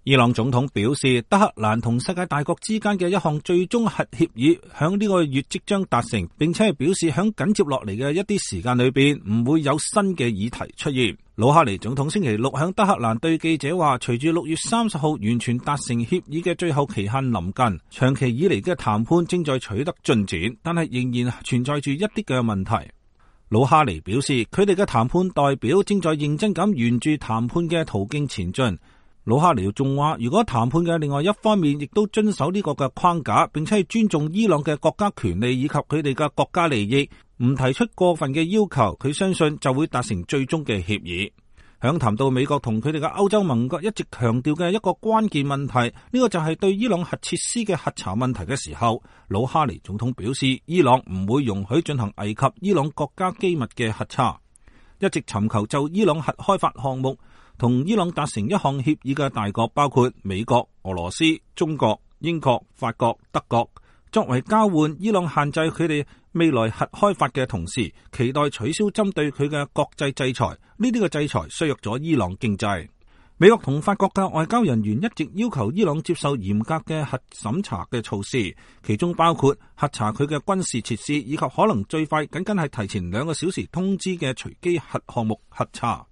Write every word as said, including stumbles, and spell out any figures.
伊朗總統表示，德黑蘭同世界大國之間嘅一項最終核協議響呢個月即將達成，並且係表示響緊接落嚟嘅一啲時間裏邊唔會有新嘅議題出現。魯哈尼總統星期六響德黑蘭對記者話，隨住六月三十號完全達成協議嘅最後期限臨近，長期以嚟嘅談判正在取得進展，但係仍然存在住一啲嘅問題。魯哈尼表示，佢哋嘅談判代表正在認真咁沿住談判嘅途徑前進。魯哈尼仲話，如果談判嘅另外一方面亦都遵守呢個嘅框架，並且係尊重伊朗嘅國家權利以及佢哋嘅國家利益，唔提出過分嘅要求，佢相信就會達成最終嘅協議。響談到美國同佢哋嘅歐洲盟國一直強調嘅一個關鍵問題，呢個就係對伊朗核設施嘅核查問題嘅時候，魯哈尼總統表示，伊朗唔會容許進行危及伊朗國家機密嘅核查。一直尋求就伊朗核開發項目同伊朗達成一項協議嘅大國包括美國、俄羅斯、中國、英國、法國、德國。作為交換，伊朗限制佢哋未來核開發嘅同時，期待取消針對佢嘅國際制裁。呢啲嘅制裁削弱咗伊朗經濟。美國同法國嘅外交人員一直要求伊朗接受嚴格嘅核審查嘅措施，其中包括核查佢嘅軍事設施，以及可能最快僅僅係提前兩個小時通知嘅隨機核項目核查。